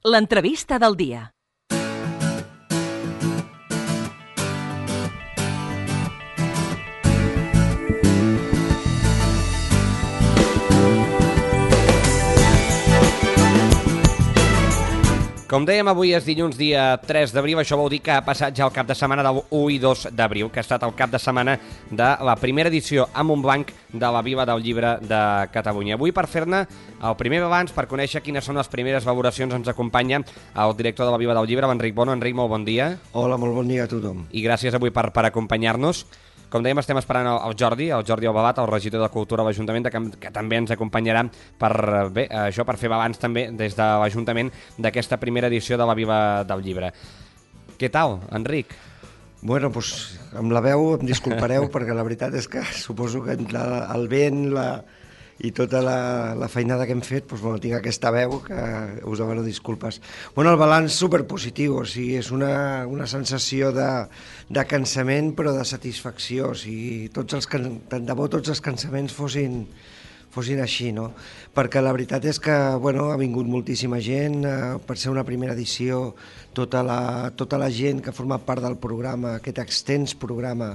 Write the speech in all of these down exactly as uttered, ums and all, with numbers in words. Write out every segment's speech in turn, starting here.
L'entrevista del dia. Com dèiem, avui és dilluns, dia tres d'abril, això vol dir que ha passat ja el cap de setmana del u i dos d'abril, que ha estat el cap de setmana de la primera edició a Montblanc de la Vila del Llibre de Catalunya. Avui, per fer-ne el primer balanç, per conèixer quines són les primeres valoracions, ens acompanya el director de la Vila del Llibre, l'Enric Bono. Enric, molt bon dia. Hola, molt bon dia a tothom. I gràcies avui per, per acompanyar-nos. Com dèiem, estem esperant el Jordi, el Jordi Albalat, el regidor de Cultura de l'Ajuntament, que, que també ens acompanyarà per, bé, això, per fer balanç també des de l'Ajuntament d'aquesta primera edició de la Vila del Llibre. Què tal, Enric? Bueno, doncs amb la veu em disculpareu perquè la veritat és que suposo que entre el vent la, i tota la, la feinada que hem fet, doncs, bueno, tinc aquesta veu que us demano disculpes. Bueno, el balanç superpositiu, o sigui, és una, una sensació de, de cansament però de satisfacció, o sigui, tots els, tant de bo tots els cansaments fossin, fossin així, no? Perquè la veritat és que, bueno, ha vingut moltíssima gent, eh, per ser una primera edició, tota la, tota la gent que ha format part del programa, aquest extens programa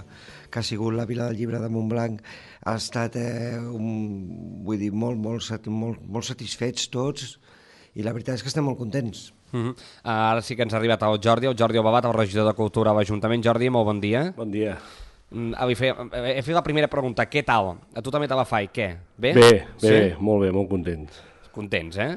que ha sigut la Vila del Llibre de Montblanc, ha estat, eh, un, vull dir, molt, molt, molt, molt satisfets tots, i la veritat és que estem molt contents. Uh-huh. Ara sí que ens ha arribat el Jordi, el Jordi Albalat, el regidor de Cultura a l'Ajuntament. Jordi, molt bon dia. Bon dia. He fet la primera pregunta, què tal? A tu també te la faig, què? Bé? Bé, bé, sí? bé, molt bé, molt contents. Contents, eh?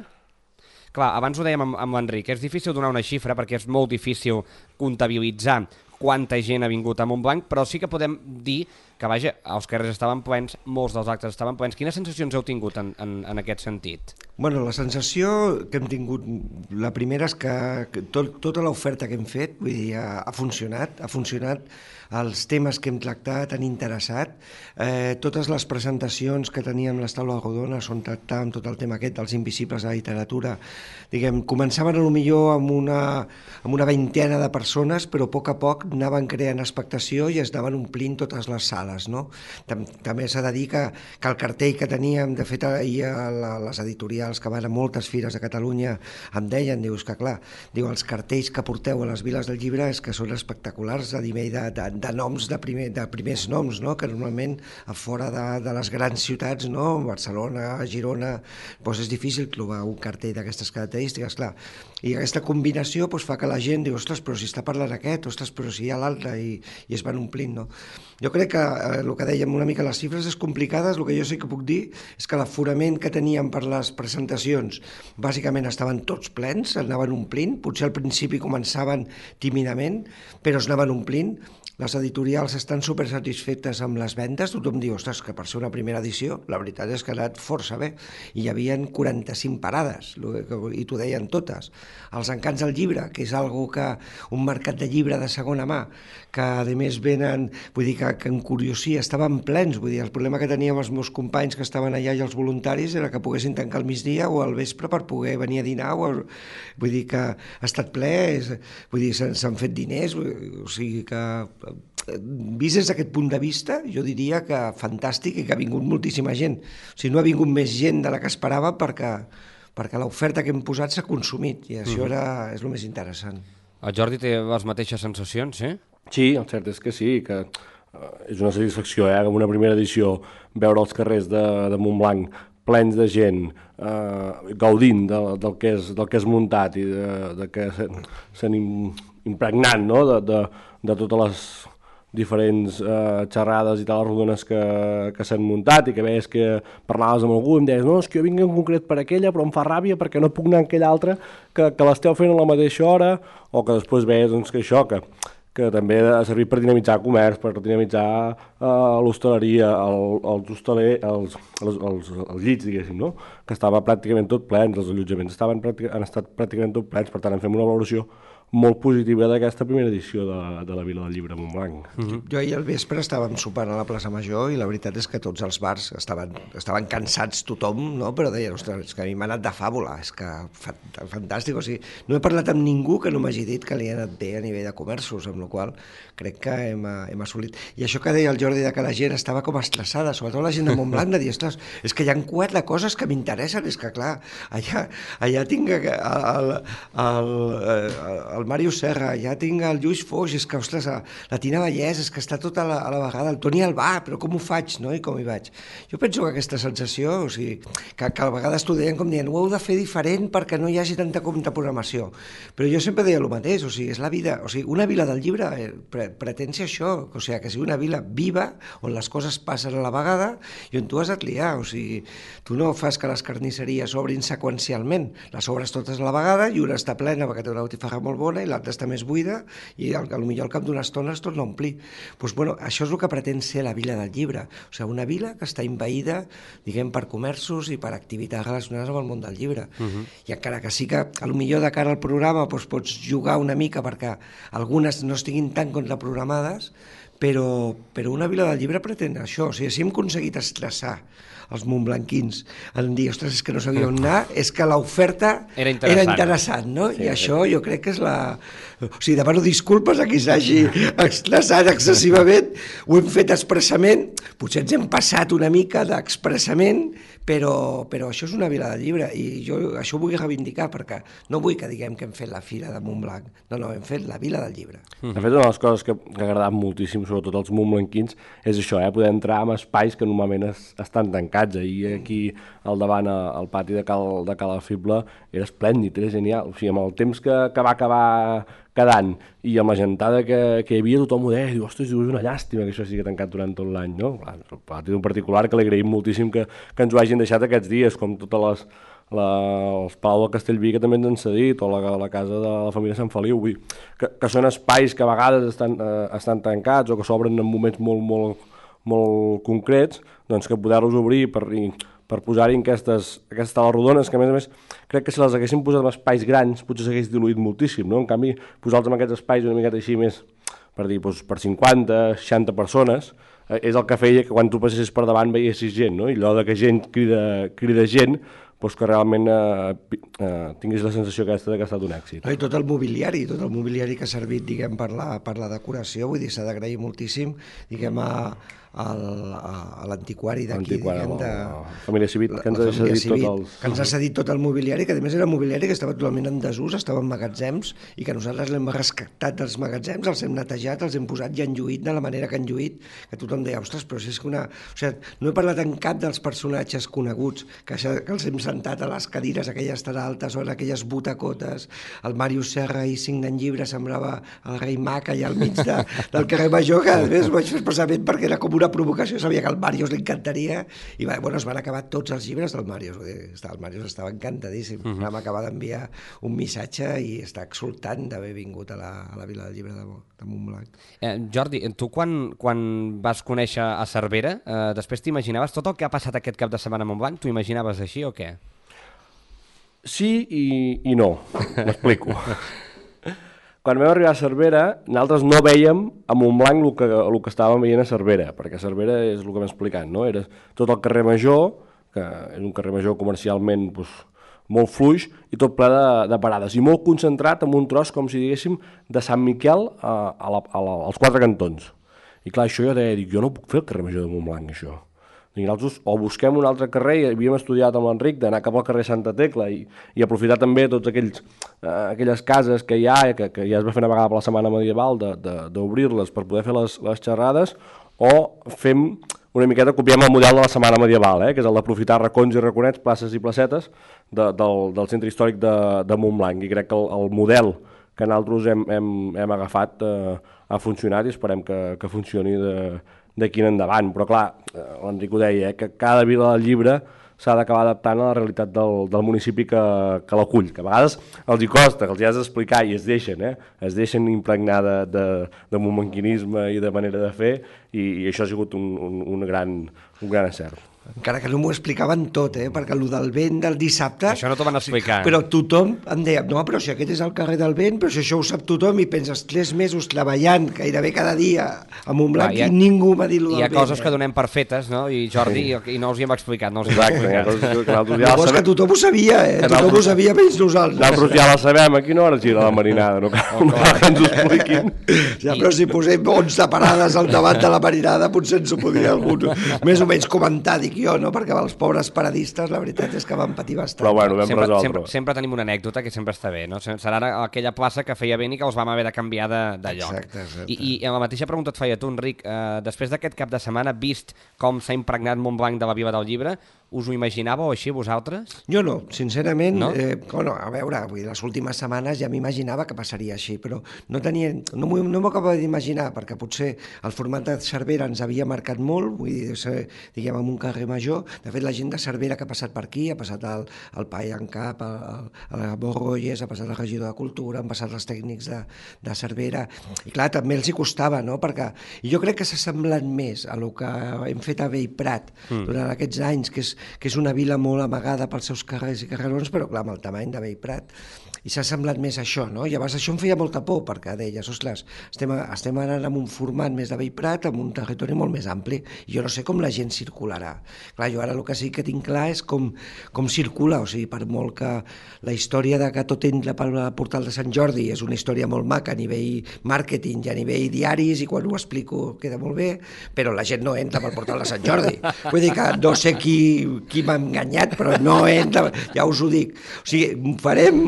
Clar, abans ho dèiem amb, amb l'Enric, és difícil donar una xifra perquè és molt difícil comptabilitzar quanta gent ha vingut a Montblanc, però sí que podem dir que, vaja, els carrers estaven plens, molts dels actes estaven plens. Quines sensacions heu tingut en, en, en aquest sentit? Bueno, la sensació que hem tingut, la primera és que, que tot, tota l'oferta que hem fet, vull dir, ha, ha funcionat, ha funcionat, els temes que hem tractat han interessat, eh, totes les presentacions que teníem les taules rodones on tractàvem tot el tema aquest dels invisibles de la literatura, diguem, començaven a lo millor amb una, amb una vintena de persones, però a poc a poc anaven creant expectació i es anaven omplint totes les sales, no? També s'ha de dir que, que el cartell que teníem, de fet, ahir a les editorials que van a moltes fires de Catalunya em deien, dius que clar, diu, els cartells que porteu a les viles del llibre és que són espectaculars a nivell de, de, de noms, de, primer, de primers noms, no? Que normalment a fora de, de les grans ciutats, no? Barcelona, Girona, doncs és difícil trobar un cartell d'aquestes característiques, clar. I aquesta combinació doncs, fa que la gent diu, ostres, però si està parlant aquest, ostres, però si hi ha l'altre, i, i es van omplint, no? Jo crec que eh, el que dèiem una mica, les xifres és complicades, el que jo sí que puc dir és que l'aforament que teníem per les presentacions bàsicament estaven tots plens, anaven omplint, potser al principi començaven tímidament, però es anaven omplint. Les editorials estan supersatisfetes amb les vendes, tothom diu, ostres, que per ser una primera edició, la veritat és que ha anat força bé, i hi havia quaranta-cinc parades, i t'ho deien totes. Els encants del llibre, que és algo que, un mercat de llibre de segona mà, que a més venen, vull dir que, que en curiosia estaven plens, vull dir, el problema que teníem els meus companys que estaven allà i els voluntaris era que poguessin tancar al migdia o al vespre per poder venir a dinar, o, vull dir que ha estat ple, és, vull dir, s'han fet diners, o sigui que vist des d'aquest punt de vista, jo diria que fantàstic i que ha vingut moltíssima gent. O sigui, no ha vingut més gent de la que esperava perquè, perquè l'oferta que hem posat s'ha consumit i això mm. era, és el més interessant. El Jordi té les mateixes sensacions, eh? Sí, el cert és que sí, que uh, és una satisfacció, eh? Com una primera edició, veure els carrers de, de Montblanc plens de gent, eh, gaudint de, del, que és, del que és muntat i de, de que s'han impregnat, no? de, de, de totes les diferents eh, xerrades i tales rodones que, que s'han muntat i que veies que parlaves amb algú i em deies, no, és que jo vinc en concret per aquella però em fa ràbia perquè no puc anar a aquella altra que, que l'esteu fent a la mateixa hora, o que després veies doncs, que això, que, que també ha servit per dinamitzar comerç, per dinamitzar eh, l'hostaleria, el, els, hostaler, els, els, els, els llits, diguéssim, no? Que estava pràcticament tot plens, els allotjaments estaven, han estat pràcticament tot plens, per tant en fem una valoració molt positiva d'aquesta primera edició de, de la Vila del Llibre a Montblanc. Mm-hmm. Jo ahir al vespre estàvem sopant a la plaça Major i la veritat és que tots els bars estaven, estaven cansats tothom, no? Però deien, ostres, és que a mi m'ha anat de fàbula, és que fantàstic, o sigui, no he parlat amb ningú que no m'hagi dit que li ha anat bé a nivell de comerços, amb la qual crec que hem, hem assolit. I això que deia el Jordi de que la gent estava com estressada, sobretot la gent de Montblanc, de dir, ostres, és que hi ha quatre coses que m'interessen, és que clar, allà, allà tinc el, el, el, el Màrius Serra, ja tinc el Lluís Foix, és que, ostres, la Tina Vallès, és que està tota a la, a la vegada, el Toni Albà, però com ho faig, no? I com hi vaig? Jo penso que aquesta sensació, o sigui, que, que a vegades t'ho deien com dient, ho heu de fer diferent perquè no hi hagi tanta contraprogramació. Però jo sempre deia el mateix, o sigui, és la vida, o sigui, una vila del llibre pre pretén ser això, o sigui, que sigui una vila viva, on les coses passen a la vegada i on tu has de triar, o sigui, tu no fas que les carnisseries obrin seqüencialment, les obres totes a la vegada i una està plena perquè té una botifarra molt bona i l'altra està més buida i al, potser al cap d'una estona es torna a omplir. Pues, bueno, això és el que pretén ser la vila del llibre, o sigui, una vila que està envaïda, diguem, per comerços i per activitats relacionades amb el món del llibre. Uh-huh. I encara que sí que, potser de cara al programa, doncs, pots jugar una mica perquè algunes no estiguin tan contraprogramades, però, però una vila del llibre pretén això, o sigui, si hem aconseguit estressar els montblanquins en dir, ostres, és que no sabia on anar, és que l'oferta era interessant, era interessant, no? Sí, I això jo crec que és la... O sigui, demano disculpes a qui s'hagi estressat excessivament, ho hem fet expressament, potser ens hem passat una mica d'expressament, però, però això és una vila del llibre i jo això ho vull reivindicar perquè no vull que diguem que hem fet la fira de Montblanc, no, no, hem fet la vila del llibre. De fet, una de les coses que, que ha agradat moltíssim, sobretot als montblanquins, és això, eh? Poder entrar en espais que normalment es, estan tancats. Ahir aquí al davant, al pati de Cal, de Cal Fible, era esplèndid, era genial. O sigui, amb el temps que, que va acabar quedant i amb la gentada que, que hi havia, tothom ho deia, diu, ostres, és una llàstima que això sigui tancat durant tot l'any, no? Clar, el pati en particular, que li agraïm moltíssim que, que ens ho hagin deixat aquests dies, com totes les, la, els Palau de Castellví, que també ens han cedit, o la, la casa de la família Sant Feliu, vull, que, que són espais que a vegades estan, eh, estan tancats o que s'obren en moments molt, molt, molt concrets, doncs que poder-los obrir per... per posar-hi aquestes, aquestes tales rodones, que a més a més crec que si les haguéssim posat en espais grans potser s'hagués diluït moltíssim, no? En canvi, posar-los en aquests espais una miqueta així més, per dir, doncs, per cinquanta, seixanta persones, eh, és el que feia que quan tu passessis per davant veiessis gent, no? I allò de que gent crida, crida gent, doncs que realment eh, eh, tinguis la sensació aquesta que ha estat un èxit. No, i tot el mobiliari, tot el mobiliari que ha servit, diguem, per la, per la decoració, vull dir, s'ha d'agrair moltíssim, diguem, a, a l'antiquari d'aquí, diguem, de... La família Civit, que ens ha cedit tot els... que ens ha cedit tot el mobiliari, que a més era mobiliari que estava totalment en desús, estava en magatzems, i que nosaltres l'hem rescatat dels magatzems, els hem netejat, els hem posat i han lluït de la manera que han lluït, que tothom deia, ostres, però si és que una... O sigui, no he parlat en cap dels personatges coneguts, que, que els hem sentat a les cadires aquelles tan altes o en aquelles butacotes, el Màrius Serra i signant llibres semblava el rei Mac allà al mig de, del carrer Major, que a més ho vaig fer expressament perquè era com una provocació, sabia que al Màrius li encantaria i bueno, es van acabar tots els llibres del Màrius, el Màrius estava encantadíssim, uh -huh. vam acabar d'enviar un missatge i està exultant d'haver vingut a la, a la Vila del Llibre de, de Montblanc. Eh, Jordi, tu quan, quan vas conèixer a Cervera, eh, després t'imaginaves tot el que ha passat aquest cap de setmana a Montblanc, t'ho imaginaves així o què? Sí i, i no, m'explico. Quan vam arribar a Cervera, nosaltres no vèiem a Montblanc el que, el que estàvem veient a Cervera, perquè Cervera és el que m'he explicat, no? Era tot el carrer Major, que és un carrer Major comercialment doncs, molt fluix i tot ple de, de parades, i molt concentrat en un tros, com si diguéssim, de Sant Miquel a, a la, a la, als quatre cantons. I clar, això jo deia, dic, jo no puc fer el carrer Major de Montblanc, això. I nosaltres o busquem un altre carrer, i havíem estudiat amb l'Enric d'anar cap al carrer Santa Tecla i, i aprofitar també tots aquells, eh, aquelles cases que hi ha, que, que ja es va fer una vegada per la setmana medieval, d'obrir-les per poder fer les, les xerrades, o fem una miqueta, copiem el model de la setmana medieval, eh, que és el d'aprofitar racons i raconets, places i placetes de, del, del centre històric de, de Montblanc, i crec que el, el model que nosaltres hem, hem, hem agafat eh, ha funcionat i esperem que, que funcioni de d'aquí en endavant, però clar, l'Enric ho deia, eh, que cada vila del llibre s'ha d'acabar adaptant a la realitat del, del municipi que, que l'acull, que a vegades els hi costa, que els hi has d'explicar i es deixen, eh? es deixen impregnar de, de, de montblanquinisme i de manera de fer, i, i això ha sigut un, un, un, gran, un gran acert. encara que no m'ho explicaven tot, eh? Perquè el del vent del dissabte... Això no t'ho van explicar. Però tothom em deia, no, però si aquest és el carrer del vent, però si això ho sap tothom, i penses tres mesos treballant gairebé cada dia a Montblanc ha, i ningú m'ha dit el del vent. Hi ha coses eh? que donem per fetes, no? I Jordi, sí. i no us hi hem explicat, no us hi hem explicat. Exacte. Llavors que tothom ho sabia, eh? Tothom ho sabia menys nosaltres. Nosaltres ja la sabem, a quina hora gira la marinada, no cal, no cal que ens ho expliquin. Ja, però si posem onze parades al davant de la marinada, potser ens ho podria algú més o menys comentar, dic jo, no? Perquè els pobres paradistes, la veritat és que van patir bastant. Però bueno, vam sempre, resoldre. Sempre, sempre tenim una anècdota que sempre està bé, no? Serà aquella plaça que feia vent i que els vam haver de canviar de, de lloc. Exacte, exacte. I, I la mateixa pregunta et feia tu, Enric, eh, després d'aquest cap de setmana, vist com s'ha impregnat Montblanc de la Viva del Llibre, us ho imaginàveu així vosaltres? Jo no, sincerament, no? Eh, bueno, a veure, vull dir, les últimes setmanes ja m'imaginava que passaria així, però no tenia, no m'ho no acabo d'imaginar, perquè potser el format de Cervera ens havia marcat molt, vull dir, ser, diguem, en un carrer major. De fet, la gent de Cervera que ha passat per aquí, ha passat el, el Pai en Cap, el, el, el Borrolles, ha passat el regidor de Cultura, han passat els tècnics de, de Cervera, i clar, també els hi costava, no?, perquè i jo crec que s'ha semblat més a el que hem fet a Bellprat mm. durant aquests anys, que és que és una vila molt amagada pels seus carrers i carrerons, però clar, amb el tamany de Bellprat, i s'ha semblat més això, no? I llavors això em feia molta por, perquè deies, ostres, estem, estem anant amb un format més de Bellprat, amb un territori molt més ampli, i jo no sé com la gent circularà. Clar, jo ara el que sí que tinc clar és com, com circula, o sigui, per molt que la història de que tot entra pel portal de Sant Jordi és una història molt maca a nivell màrqueting i a nivell diaris, i quan ho explico queda molt bé, però la gent no entra pel portal de Sant Jordi. Vull dir que no sé qui, qui m'ha enganyat, però no entra, ja us ho dic. O sigui, farem,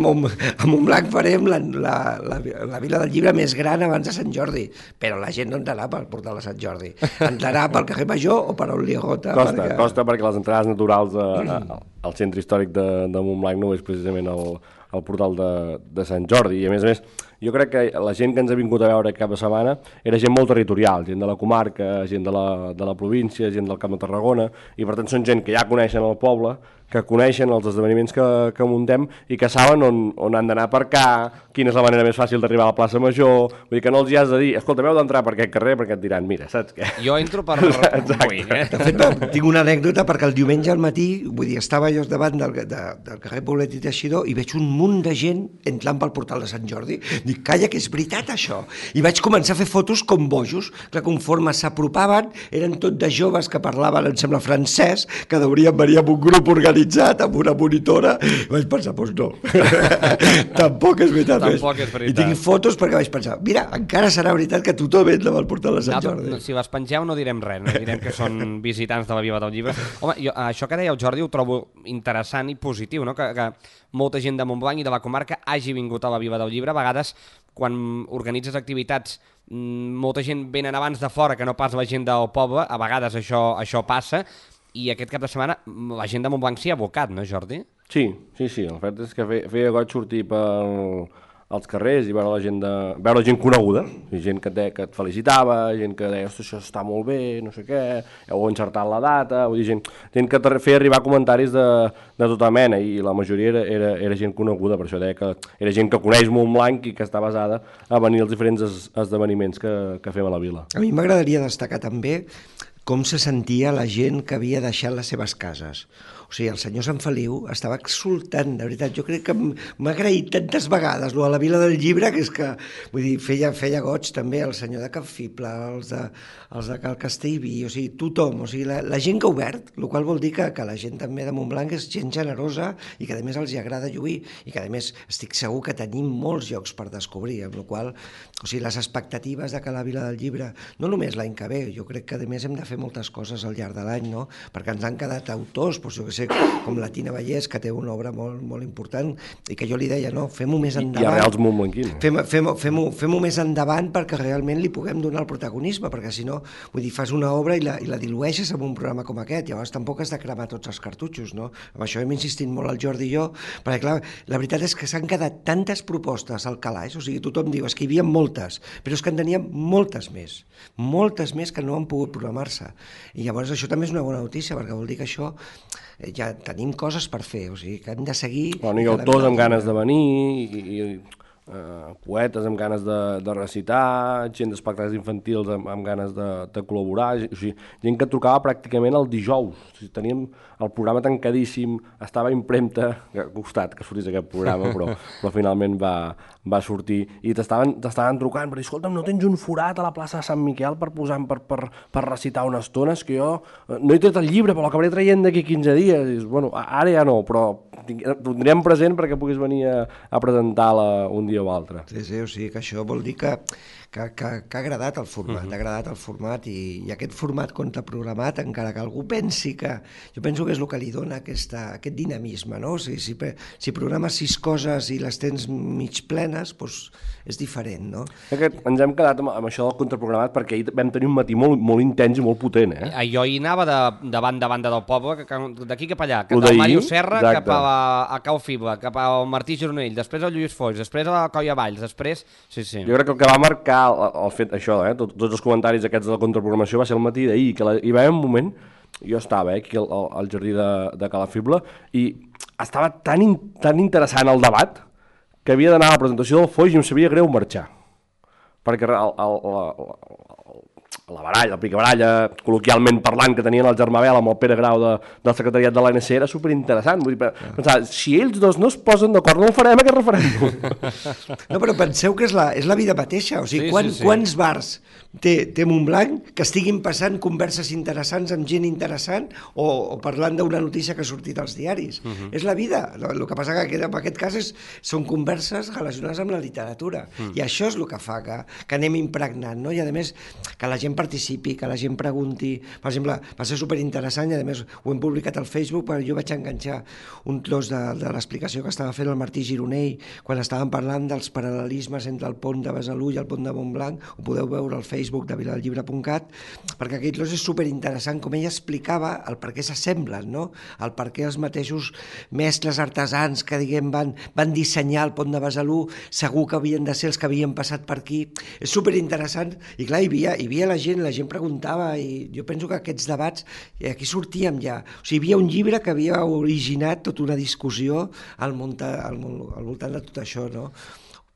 a Montblanc farem la, la, la, la Vila del Llibre més gran abans de Sant Jordi, però la gent no entrarà pel portal de Sant Jordi. Entrarà pel carrer Major o per on li agota. Costa, perquè... costa perquè les entrades naturals a, a, al centre històric de, de Montblanc no és precisament el, el portal de, de Sant Jordi, i a més a més jo crec que la gent que ens ha vingut a veure cap de setmana era gent molt territorial, gent de la comarca, gent de la, de la província, gent del Camp de Tarragona, i per tant són gent que ja coneixen el poble, que coneixen els esdeveniments que, que muntem i que saben on, on han d'anar a aparcar, quina és la manera més fàcil d'arribar a la plaça Major, vull dir que no els hi has de dir, escolta, m'heu d'entrar per aquest carrer, perquè et diran, mira, saps què? Jo entro per... Ui, eh? De fet, no, tinc una anècdota, perquè el diumenge al matí, vull dir, estava jo davant del, de, del carrer Poblet i Teixidor i veig un munt de gent entrant pel portal de Sant Jordi. Dic, calla, que és veritat això. I vaig començar a fer fotos com bojos, que conforme s'apropaven, eren tot de joves que parlaven, em sembla, francès, que deurien venir amb un grup organitzat amb una monitora, i vaig pensar, doncs no, tampoc és veritat. Tampoc és veritat. I tinc fotos perquè vaig pensar, mira, encara serà veritat que tothom entra pel portal de Sant Jordi. No, si les pengeu no direm res, no direm que són visitants de la Viva del Llibre. Home, jo, això que deia el Jordi ho trobo interessant i positiu, no? que, que molta gent de Montblanc i de la comarca hagi vingut a la Viva del Llibre. A vegades, quan organitzes activitats, molta gent venen abans de fora que no pas la gent del poble, a vegades això, això passa, i aquest cap de setmana la gent de Montblanc s'hi ha abocat, no, Jordi? Sí, sí, sí. El fet és que feia, feia goig sortir pel, als carrers i veure la gent, de, veure gent coneguda, gent que, de, que et felicitava, gent que deia, ostres, això està molt bé, no sé què, heu encertat la data, vull dir, gent, gent que feia arribar comentaris de, de tota mena, i la majoria era, era, era gent coneguda, per això deia que era gent que coneix Montblanc i que està basada a venir als diferents es, esdeveniments que, que fem a la vila. A mi m'agradaria destacar també com se sentia la gent que havia deixat les seves cases. O sigui, el senyor Sant Feliu estava exultant, de veritat. Jo crec que m'ha agraït tantes vegades lo de la Vila del Llibre, que és que, vull dir, feia, feia goig també el senyor de Capfible, els de, els de Cal Castellví, o sigui, tothom, o sigui, la, la gent que ha obert, el qual vol dir que, que la gent també de Montblanc és gent generosa i que a més els hi agrada lluir, i que a més estic segur que tenim molts llocs per descobrir, amb la qual, o sigui, les expectatives de que la Vila del Llibre, no només l'any que ve, jo crec que a més hem de fer moltes coses al llarg de l'any, no? Perquè ens han quedat autors, doncs jo que sé, com la Tina Vallès, que té una obra molt, molt important, i que jo li deia, no, fem-ho més endavant. I arrels montblanquins. Fem-ho fem fem fem més endavant perquè realment li puguem donar el protagonisme, perquè si no, vull dir, fas una obra i la, i la dilueixes en un programa com aquest, llavors tampoc has de cremar tots els cartutxos, no? Amb això hem insistit molt el Jordi i jo, perquè clar, la veritat és que s'han quedat tantes propostes al calaix, o sigui, tothom diu, és que hi havia moltes, però és que en teníem moltes més, moltes més que no han pogut programar-se. I llavors això també és una bona notícia, perquè vol dir que això ja tenim coses per fer, o sigui, que hem de seguir... Bueno, hi ha autors amb ganes de venir i, i eh, poetes amb ganes de, de recitar, gent d'espectacles infantils amb, amb ganes de, de col·laborar, o sigui, gent que trucava pràcticament el dijous. O sigui, teníem el programa tancadíssim, estava a impremta, que ha costat que sortís aquest programa, però, però finalment va, va sortir, i t'estaven trucant per dir, escolta'm, no tens un forat a la plaça de Sant Miquel per posar per, per, per recitar unes estones, que jo no he tret el llibre, però l'acabaré traient d'aquí quinze dies. I dius, bueno, ara ja no, però ho tindrem present perquè puguis venir a, a presentar-la un dia o altre. Sí, sí, o sigui que això vol dir que, que, que, que ha agradat el format, uh-huh. ha agradat el format i, i aquest format contraprogramat, encara que algú pensi que... Jo penso que és el que li dona aquesta, aquest dinamisme, no? O sigui, si, si programes sis coses i les tens mig plenes, doncs és diferent, no? Aquest, ens hem quedat amb, amb això del contraprogramat perquè ahir vam tenir un matí molt, molt intens i molt potent, eh? Jo hi anava de, de banda a banda del poble, d'aquí cap allà, cap al Mario Serra, exacte, cap a, la, a Cau Fibla, cap al Martí Gironell, després al Lluís Foix, després a la Colla Valls, després... Sí, sí. Jo crec que el que va marcar el, el fet això, eh, Tot, tots els comentaris aquests de la contraprogramació va ser el matí d'ahir, que la, hi va haver un moment, jo estava eh, aquí al, al jardí de, de Cala Fibla, i estava tan, in, tan interessant el debat que havia d'anar a la presentació del Foix i em sabia greu marxar, perquè el, el, el, la baralla, la picabaralla, col·loquialment parlant, que tenien el Germà Bel amb el Pere Grau de, del secretariat de l'A N C era superinteressant. Vull dir, pensar, si ells dos no es posen d'acord, no el farem aquest referèndum. No, però penseu que és la, és la vida mateixa. O sigui, sí, quan, sí, sí. quants bars té, té Montblanc que estiguin passant converses interessants amb gent interessant o, o parlant d'una notícia que ha sortit als diaris. Uh -huh. És la vida. El que passa que en aquest cas és, són converses relacionades amb la literatura. Uh -huh. I això és el que fa que, que anem impregnant, no? I a més, que la gent participi, que la gent pregunti. Per exemple, va ser superinteressant i a més ho hem publicat al Facebook, perquè jo vaig enganxar un tros de, de l'explicació que estava fent el Martí Gironell quan estàvem parlant dels paral·lelismes entre el pont de Besalú i el pont de Montblanc. Ho podeu veure al Facebook de vilallibre punt cat, perquè aquell tros és superinteressant com ella explicava el per què s'assemblen, no? El per què els mateixos mestres artesans que diguem van, van dissenyar el pont de Besalú segur que havien de ser els que havien passat per aquí. És superinteressant i clar, hi havia, hi havia la gent la gent preguntava i jo penso que aquests debats, aquí sortíem ja. O sigui, hi havia un llibre que havia originat tota una discussió al, munta, al, al voltant de tot això, no?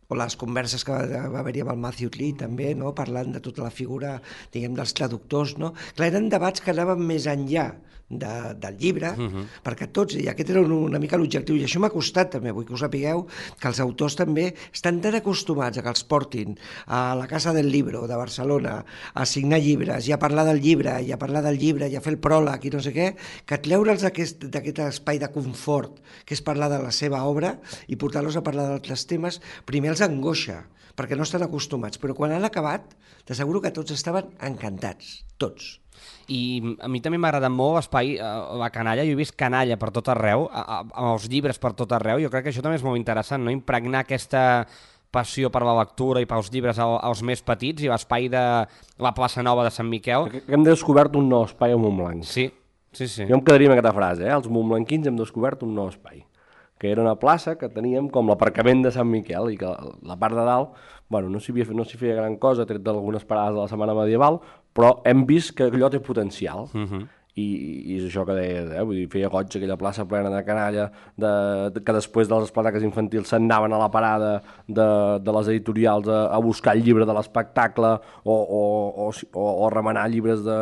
O les converses que va, va haver-hi amb el Matthew Lee també, no? Parlant de tota la figura, diguem, dels traductors, no? Clar, eren debats que anaven més enllà de, del llibre, uh-huh. perquè tots, i aquest era una, una mica l'objectiu, i això m'ha costat també, vull que ho sapigueu, que els autors també estan tan acostumats a que els portin a la Casa del Libro de Barcelona a signar llibres, i a parlar del llibre, i a parlar del llibre, i a fer el pròleg, i no sé què, que treure'ls d'aquest, d'aquest espai de confort, que és parlar de la seva obra, i portar-los a parlar d'altres temes, primer els angoixa, perquè no estan acostumats, però quan han acabat, t'asseguro que tots estaven encantats, tots. I a mi també m'ha agradat molt l'espai, la canalla, jo he vist canalla per tot arreu, amb els llibres per tot arreu, jo crec que això també és molt interessant, no? Impregnar aquesta passió per la lectura i pels llibres als més petits i l'espai de la plaça Nova de Sant Miquel. Que hem descobert un nou espai a Montblanc. Sí, sí, sí. Jo em quedaria amb aquesta frase, eh? Els montblanquins hem descobert un nou espai, que era una plaça que teníem com l'aparcament de Sant Miquel i que la part de dalt, bueno, no s'hi no s'hi feia gran cosa, tret d'algunes parades de la setmana medieval, però hem vist que allò té potencial. Uh-huh. I, i és això que deies, eh? Vull dir, feia goig aquella plaça plena de canalla, de, de, que després dels espectacles infantils s'anaven a la parada de, de les editorials a, a buscar el llibre de l'espectacle o, o, o, o, o remenar llibres de,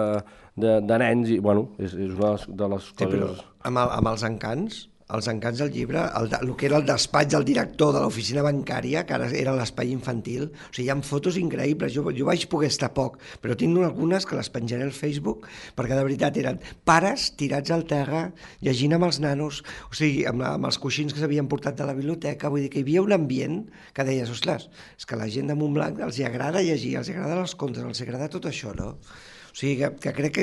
de, de nens, i bueno, és, és una de les sí, coses... Però amb, el, amb els encants, els encants del llibre, el, el que era el despatx del director de l'oficina bancària, que ara era l'espai infantil, o sigui, hi ha fotos increïbles, jo, jo vaig poder estar poc, però tinc algunes que les penjaré al Facebook, perquè de veritat eren pares tirats al terra, llegint amb els nanos, o sigui, amb, la, amb els coixins que s'havien portat de la biblioteca, vull dir que hi havia un ambient que deies, ostres, és que la gent de Montblanc els agrada llegir, els agrada els contes, els agrada tot això, no? O sigui, que, que crec que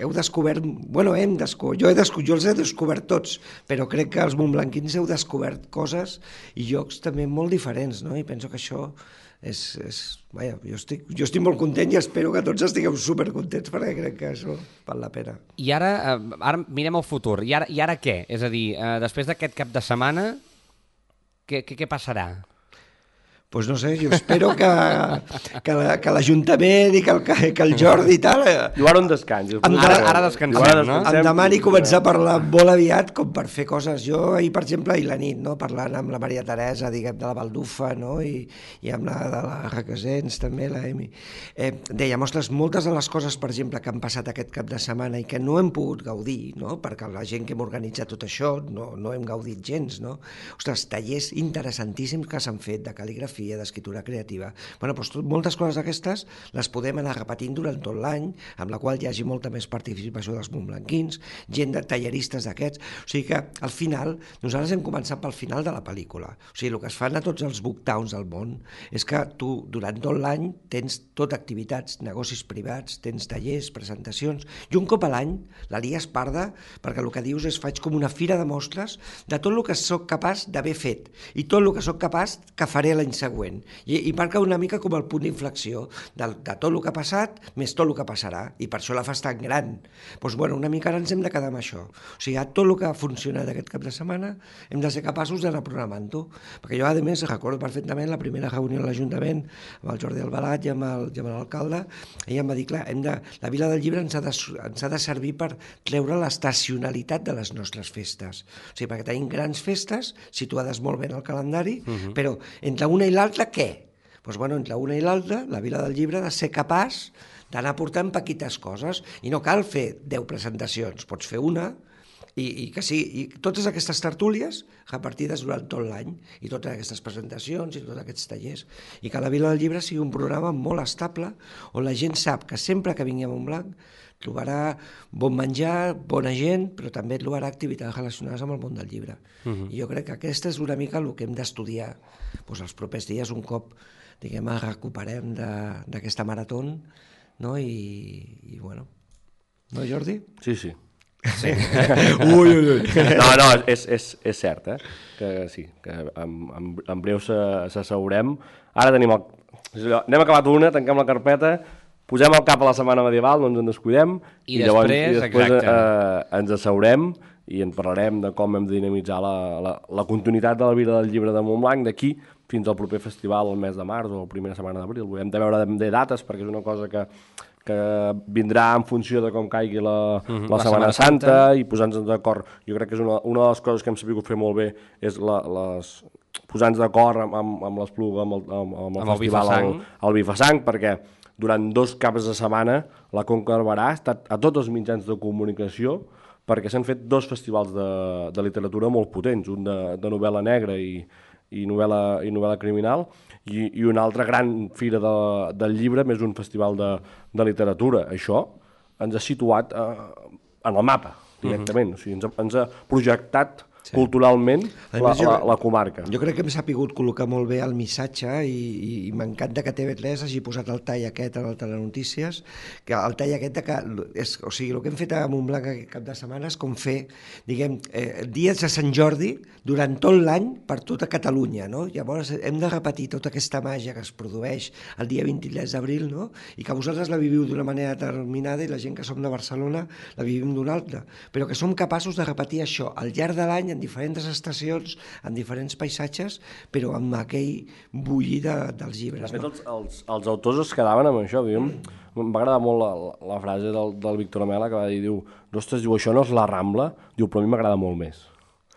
heu descobert... Bueno, hem descobert... Jo, he descobert, jo els he descobert tots, però crec que els montblanquins heu descobert coses i llocs també molt diferents, no? I penso que això és... és vaja, jo estic, jo estic molt content i espero que tots estigueu supercontents perquè crec que això val la pena. I ara, eh, ara mirem el futur. I ara, i ara què? És a dir, eh, després d'aquest cap de setmana, què, què, què passarà? Pues no sé, jo espero que, que, la, que l'Ajuntament i que el, que el Jordi i tal... Diu ara un descans. Ara, ara descansem, ara no? Em demani començar a parlar molt aviat com per fer coses. Jo ahir, per exemple, ahir la nit, no? Parlant amb la Maria Teresa, diguem, de la Baldufa, no? I, i amb la de la Requesens, també, la Emi. Eh, deia, ostres, moltes de les coses, per exemple, que han passat aquest cap de setmana i que no hem pogut gaudir, no? Perquè la gent que hem organitzat tot això no, no hem gaudit gens, no? Ostres, tallers interessantíssims que s'han fet de cal·ligrafia, d'escriptura creativa. Bueno, doncs tot, moltes coses d'aquestes les podem anar repetint durant tot l'any, amb la qual hi hagi molta més participació dels montblanquins, gent de talleristes d'aquests. O sigui que, al final, nosaltres hem començat pel final de la pel·lícula. O sigui, el que es fan a tots els booktowns del món és que tu, durant tot l'any, tens tot activitats, negocis privats, tens tallers, presentacions, i un cop a l'any la lies parda, perquè el que dius és faig com una fira de mostres de tot el que sóc capaç d'haver fet i tot el que sóc capaç que faré l'any següent. I, i marca una mica com el punt d'inflexió de, de tot el que ha passat més tot el que passarà, i per això la fas tan gran. Doncs, bueno, una mica ara ens hem de quedar amb això. O sigui, a tot el que ha funcionat aquest cap de setmana hem de ser capaços d'anar programant-ho, perquè jo, a més, recordo perfectament la primera reunió a l'Ajuntament amb el Jordi Albalat i amb el, i amb l'alcalde. Ella em va dir, clar, hem de, la Vila del Llibre ens ha, de, ens ha de servir per treure l'estacionalitat de les nostres festes. O sigui, perquè tenim grans festes situades molt bé en el calendari, uh-huh. però entre una i l'altra, què? Doncs, bueno, entre una i l'altra, la Vila del Llibre ha de ser capaç d'anar portant petites coses, i no cal fer deu presentacions, pots fer una, i, i que sí, i totes aquestes tertúlies repartides durant tot l'any, i totes aquestes presentacions i tots aquests tallers, i que la Vila del Llibre sigui un programa molt estable, on la gent sap que sempre que vingui a Montblanc trobarà bon menjar, bona gent, però també trobarà activitats relacionades amb el món del llibre. Uh-huh. I jo crec que aquesta és una mica el que hem d'estudiar doncs, els propers dies, un cop diguem, recuperem d'aquesta marató, no? I, i bueno, no, Jordi? Sí, sí. Sí. ui, ui, ui. No, no, és, és, és cert, eh? Que sí, que en, en, en breu s'asseurem. Ara tenim el... Anem acabat una, tanquem la carpeta, posem el cap a la setmana medieval, no ens en descuidem, i, i després, llavors, i després eh, ens asseurem i en parlarem de com hem de dinamitzar la, la, la continuïtat de la vida del llibre de Montblanc d'aquí fins al proper festival el mes de març o la primera setmana d'abril. Hem de veure de dates perquè és una cosa que, que vindrà en funció de com caigui la, uh-huh, la, la Setmana Santa, Santa i posar-nos d'acord. Jo crec que és una, una de les coses que hem sabut fer molt bé és la, les, posar-nos d'acord amb, amb, amb l'Espluga, amb el, amb, amb el amb festival el, el Bifasang, perquè durant dos caps de setmana la Conca de Barberà ha estat a tots els mitjans de comunicació perquè s'han fet dos festivals de, de literatura molt potents, un de, de novel·la negra i, i, novel·la, i novel·la criminal i, i una altra gran fira de, del llibre, més un festival de, de literatura. Això ens ha situat eh, en el mapa directament, uh-huh. O sigui, ens, ha, ens ha projectat sí. culturalment la, jo, la, la comarca. Jo crec que hem sapigut col·locar molt bé el missatge i, i, i m'encanta que T V tres hagi posat el tall aquest en el Telenotícies, que el tall aquest de que, és, o sigui, el que hem fet a Montblanc aquest cap de setmana és com fer, diguem, eh, dies de Sant Jordi durant tot l'any per tota Catalunya, no? Llavors hem de repetir tota aquesta màgia que es produeix el dia vint-i-tres d'abril, no? I que vosaltres la viviu d'una manera determinada i la gent que som de Barcelona la vivim d'una altra, però que som capaços de repetir això al llarg de l'any en diferents estacions, en diferents paisatges, però amb aquell bullir de, dels llibres. De fet, no? els, els, els autors es quedaven amb això. Diguem, em va agradar molt la, la frase del, del Víctor Amela, que va dir, diu, ostres, diu, això no és la Rambla, diu, però a mi m'agrada molt més.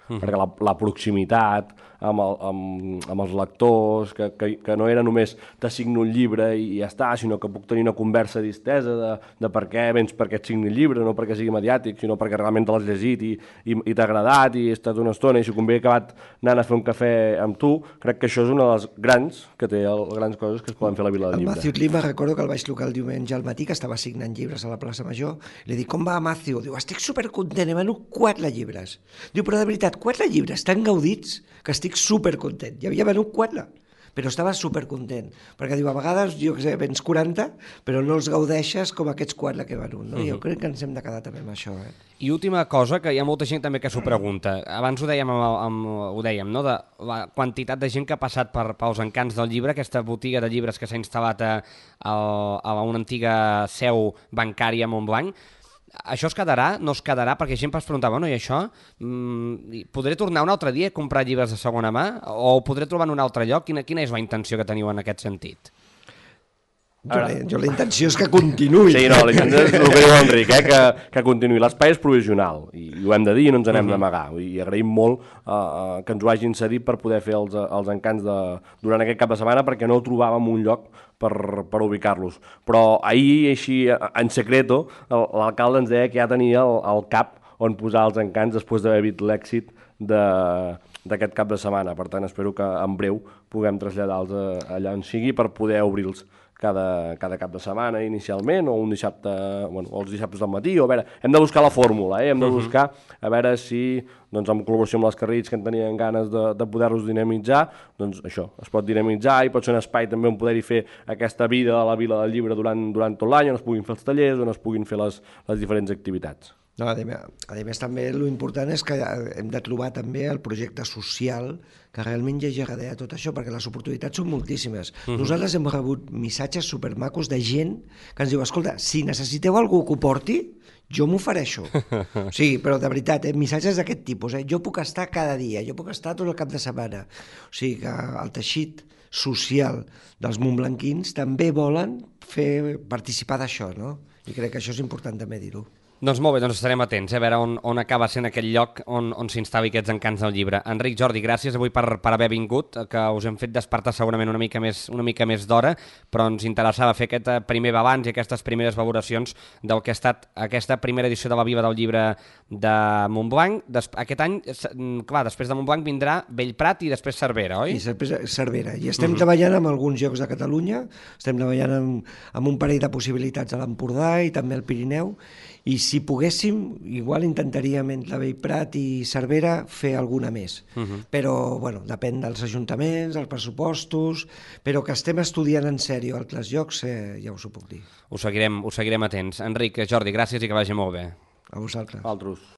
Uh-huh. Perquè la, la proximitat amb, el, amb, amb els lectors, que, que, que no era només t'assigno un llibre i ja està, sinó que puc tenir una conversa distesa de, de per què vens perquè et signi el llibre, no perquè sigui mediàtic, sinó perquè realment te l'has llegit i, i, i t'ha agradat i he estat una estona i si convé he acabat anant a fer un cafè amb tu. Crec que això és una de les grans que té, el, les grans coses que es poden fer a la Vila del Llibre. El Matthew Lima, recordo que el vaig trucar el diumenge al matí, que estava signant llibres a la plaça Major, i li dic, com va, Matthew? Diu, estic supercontent, he venut quatre llibres. Diu, però de veritat, quatre llibres tan gaudits que estic supercontent. Ja havia venut quatre, però estava supercontent. Perquè diu, a vegades, jo què sé, vens quaranta, però no els gaudeixes com aquests quatre que he venut. No? Uh-huh. Jo crec que ens hem de quedar també amb això. Eh? I última cosa, que hi ha molta gent també que s'ho pregunta. Abans ho dèiem, amb, amb, ho dèiem, no? De la quantitat de gent que ha passat per, pels encants del llibre, aquesta botiga de llibres que s'ha instal·lat a, a, a una antiga seu bancària a Montblanc. això es quedarà? No es quedarà? Perquè gent es preguntava, bueno, i això? Mm, podré tornar un altre dia a comprar llibres de segona mà? O ho podré trobar en un altre lloc? Quina, quina és la intenció que teniu en aquest sentit? Jo, la, jo la intenció és que continuï. Sí, no, la intenció és el que diu Enric, eh, que, que continuï. L'espai és provisional, i, i ho hem de dir i no ens n'hem uh -huh. d'amagar. I agraïm molt uh, uh, que ens ho hagin cedit per poder fer els, els encants de, durant aquest cap de setmana, perquè no trobàvem un lloc per, per ubicar-los. Però ahir, així, en secreto, l'alcalde ens deia que ja tenia el, el cap on posar els encants després d'haver vist l'èxit de d'aquest cap de setmana. Per tant, espero que en breu puguem traslladar-los allà on sigui per poder obrir-los cada, cada cap de setmana inicialment, o un dissabte, bueno, o els dissabtes del matí, o a veure, hem de buscar la fórmula, eh? hem de buscar a veure si, doncs, en col·laboració amb les Carrits, que en tenien ganes de, de poder-los dinamitzar, doncs això, es pot dinamitzar i pot ser un espai també on poder-hi fer aquesta vida a la Vila del Llibre durant, durant tot l'any, on es puguin fer els tallers, on es puguin fer les, les diferents activitats. No, a més, a més, també l'important és que hem de trobar també el projecte social que realment hi hagi darrere tot això, perquè les oportunitats són moltíssimes. Uh-huh. Nosaltres hem rebut missatges supermacos de gent que ens diu, escolta, si necessiteu algú que ho porti, jo m'ofereixo. Sí, però de veritat, eh? Missatges d'aquest tipus. Eh? Jo puc estar cada dia, jo puc estar tot el cap de setmana. O sigui que el teixit social dels montblanquins també volen fer participar d'això, no? I crec que això és important també dir-ho. Doncs molt bé, doncs estarem atents, eh, a veure on, on acaba sent aquell lloc on, on s'instal·li aquests encants del llibre. Enric, Jordi, gràcies avui per, per haver vingut, que us hem fet despertar segurament una mica més, una mica més d'hora, però ens interessava fer aquest primer balanç i aquestes primeres valoracions del que ha estat aquesta primera edició de la Viva del Llibre de Montblanc. Des, aquest any, clar, després de Montblanc vindrà Bellprat i després Cervera, oi? I després Cervera. I estem uh-huh. treballant amb alguns llocs de Catalunya, estem treballant amb, amb un parell de possibilitats a l'Empordà i també al Pirineu, i si poguéssim, igual intentaríem entre Bellprat i Cervera fer alguna més. Uh-huh. Però, bueno, depèn dels ajuntaments, dels pressupostos, però que estem estudiant en sèrio altres llocs, eh, ja us ho puc dir. Ho seguirem, ho seguirem atents. Enric, Jordi, gràcies i que vagi molt bé. A vosaltres. Altres.